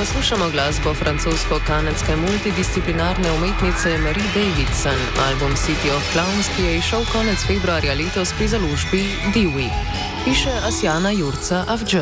Poslušamo glasbo francosko-kanadske multidisciplinarne umetnice Marie Davidson. Album City of Clowns, ki je izšel konec februarja letos pri založbi Dewey. Piše Asjana Jurca Avdž.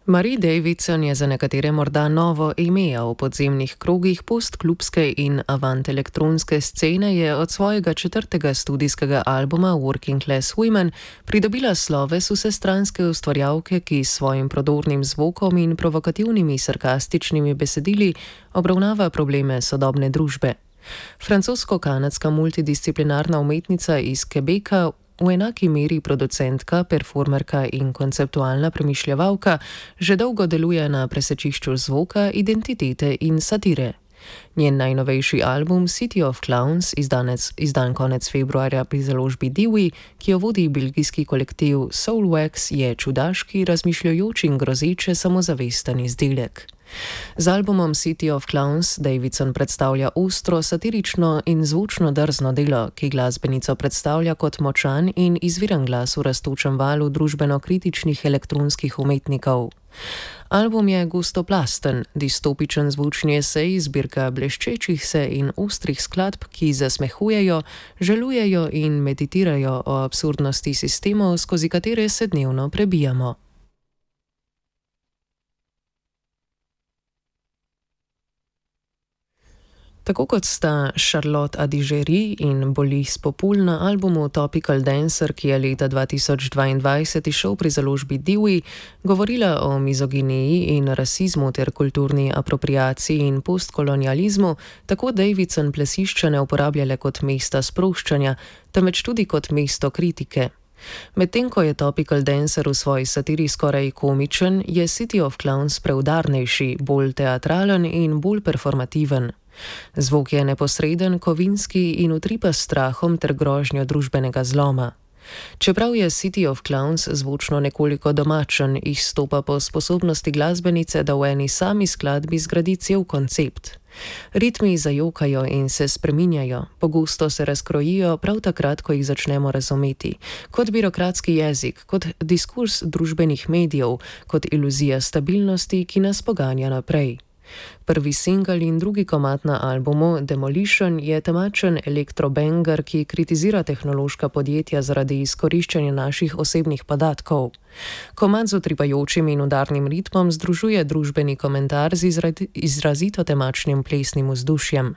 Marie Davidson je za nekatere morda novo ime, a v podzemnih krogih postklubske in avant-elektronske scene je od svojega 4. studijskega albuma Working Class Women pridobila sloves vsestranske ustvarjalke, ki s svojim prodornim zvokom in provokativnimi sarkastičnimi besedili obravnava probleme sodobne družbe. Francosko-kanadska multidisciplinarna umetnica iz Quebeca, v enaki meri producentka, performerka in konceptualna premišljevalka, že dolgo deluje na presečišču zvoka, identitete in satire. Njen najnovejši album City of Clowns, izdan konec februarja pri založbi Dewey, ki jo vodi belgijski kolektiv Soulwax, je čudaški, razmišljajoč in grozeče samozavesten izdelek. Z albumom City of Clowns Davidson predstavlja ostro, satirično in zvočno drzno delo, ki glasbenico predstavlja kot močan in izviren glas v rastočem valu družbeno-kritičnih elektronskih umetnikov. Album je gostoplasten, distopičen zvočni esej, zbirka bleščečih se in ostrih skladb, ki zasmehujejo, žalujejo in meditirajo o absurdnosti sistemov, skozi katere se dnevno prebijamo. Tako kot sta Charlotte Adigéry in Bolis Popul na albumu Topical Dancer, ki je leta 2022 izšel pri založbi Dewey, govorila o mizoginiji in rasizmu ter kulturni apropriaciji in postkolonializmu, tako Davidson plesišča ne uporablja le kot mesta sproščanja, temveč tudi kot mesto kritike. Medtem ko je Topical Dancer v svoji satiri skoraj komičen, je City of Clowns preudarnejši, bolj teatralen in bolj performativen. Zvok je neposreden, kovinski in utripa s strahom ter grožnjo družbenega zloma. Čeprav je City of Clowns zvočno nekoliko domačen, izstopa po sposobnosti glasbenice, da v eni sami skladbi zgradi cel koncept. Ritmi zajokajo in se spreminjajo, pogosto se razkrojijo prav takrat, ko jih začnemo razumeti, kot birokratski jezik, kot diskurs družbenih medijev, kot iluzija stabilnosti, ki nas poganja naprej. Prvi singel in drugi komad na albumu Demolition je temačen elektrobanger, ki kritizira tehnološka podjetja zaradi izkoriščanja naših osebnih podatkov. Komad z utripajočim in udarnim ritmom združuje družbeni komentar z izrazito temačnim plesnim vzdušjem.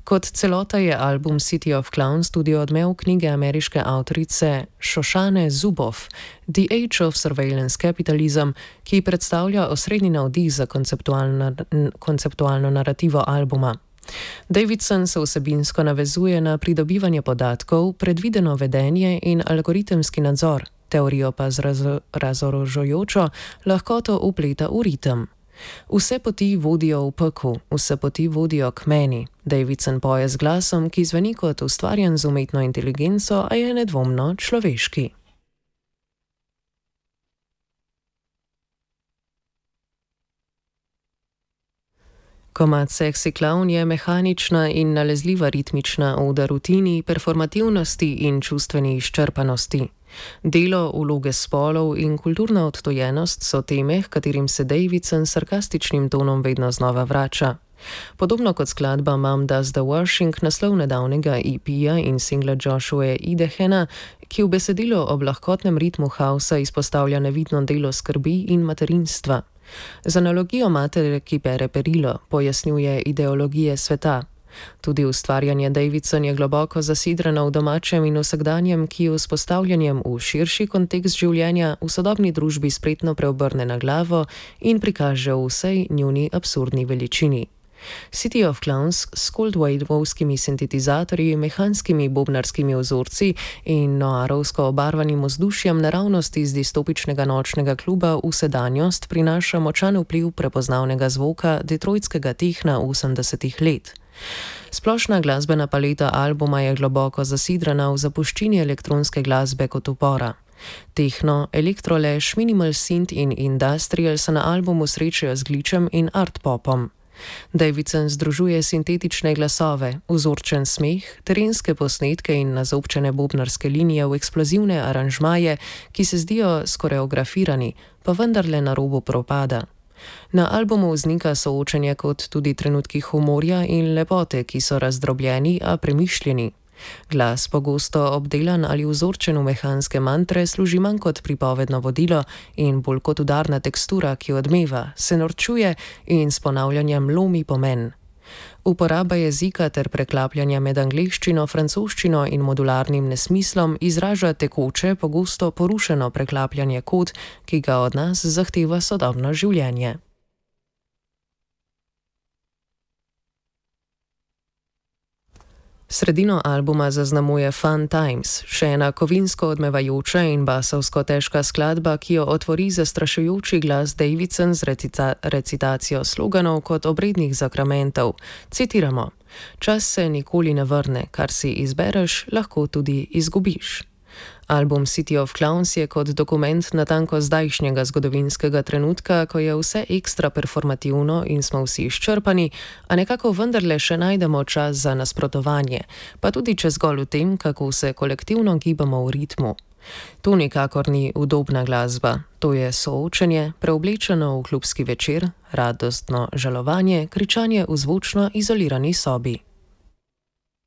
Kot celota je album City of Clowns tudi odmev knjige ameriške avtorice Shoshane Zuboff The Age of Surveillance Capitalism, ki predstavlja osrednji navdih za konceptualno narativo albuma. Davidson se vsebinsko navezuje na pridobivanje podatkov, predvideno vedenje in algoritemski nadzor, teorijo pa z razorožujočo lahkoto vpleta v ritem. Vse poti vodijo v peku, vse poti vodijo k meni. Davidson poje z glasom, ki zveni kot ustvarjen z umetno inteligenco, a je nedvomno človeški. Komad Sexy Clown je mehanična in nalezljiva ritmična oda rutini, performativnosti in čustveni izčrpanosti. Delo, vloge spolov in kulturna odtojenost so teme, katerim se Davidson s sarkastičnim tonom vedno znova vrača. Podobno kot skladba Mom Does the Washing, naslov nedavnega EP-ja in singla Joshua Idehena, ki v besedilu ob lahkotnem ritmu hausa izpostavlja nevidno delo skrbi in materinstva. Z analogijo matere, ki pere perilo, pojasnjuje ideologije sveta. Tudi ustvarjanje Davidson je globoko zasidrano v domačem in vsakdanjem, ki je vzpostavljanjem v širši kontekst življenja v sodobni družbi spretno preobrne na glavo in prikaže v vsej njuni absurdni veličini. City of Clowns s coldwave-ovskimi sintetizatorji, mehanskimi bobnarskimi vzorci in noarovsko obarvanim vzdušjem naravnost iz distopičnega nočnega kluba v sedanjost prinaša močan vpliv prepoznavnega zvoka detroitskega tehna 80-ih let. Splošna glasbena paleta albuma je globoko zasidrana v zapuščini elektronske glasbe kot upora. Techno, elektrolash, minimal synth in industrial se na albumu srečajo z glitchem in art popom. Davidson združuje sintetične glasove, vzorčen smeh, terenske posnetke in nazobčene bobnarske linije v eksplozivne aranžmaje, ki se zdijo skoreografirani, pa vendarle na robu propada. Na albumu vznika soočenje kot tudi trenutki humorja in lepote, ki so razdrobljeni, a premišljeni. Glas, pogosto obdelan ali vzorčen v mehanske mantre, služi manj kot pripovedno vodilo in bolj kot udarna tekstura, ki odmeva, se norčuje in s ponavljanjem lomi pomen. Uporaba jezika ter preklapljanja med angleščino, francoščino in modularnim nesmislom izraža tekoče, pogosto porušeno preklapljanje kod, ki ga od nas zahteva sodobno življenje. Sredino albuma zaznamuje Fun Times, še ena kovinsko odmevajoča in basovsko težka skladba, ki jo otvori zastrašujoči glas Davidson z recitacijo sloganov kot obrednih zakramentov. Citiramo: "Čas se nikoli ne vrne, kar si izbereš, lahko tudi izgubiš." Album City of Clowns je kot dokument natanko zdajšnjega zgodovinskega trenutka, ko je vse ekstra performativno in smo vsi izčrpani, a nekako vendarle še najdemo čas za nasprotovanje, pa tudi če zgolj v tem, kako se kolektivno gibamo v ritmu. To nikakor ni udobna glasba, to je soočenje, preoblečeno v klubski večer, radostno žalovanje, kričanje v zvočno izolirani sobi.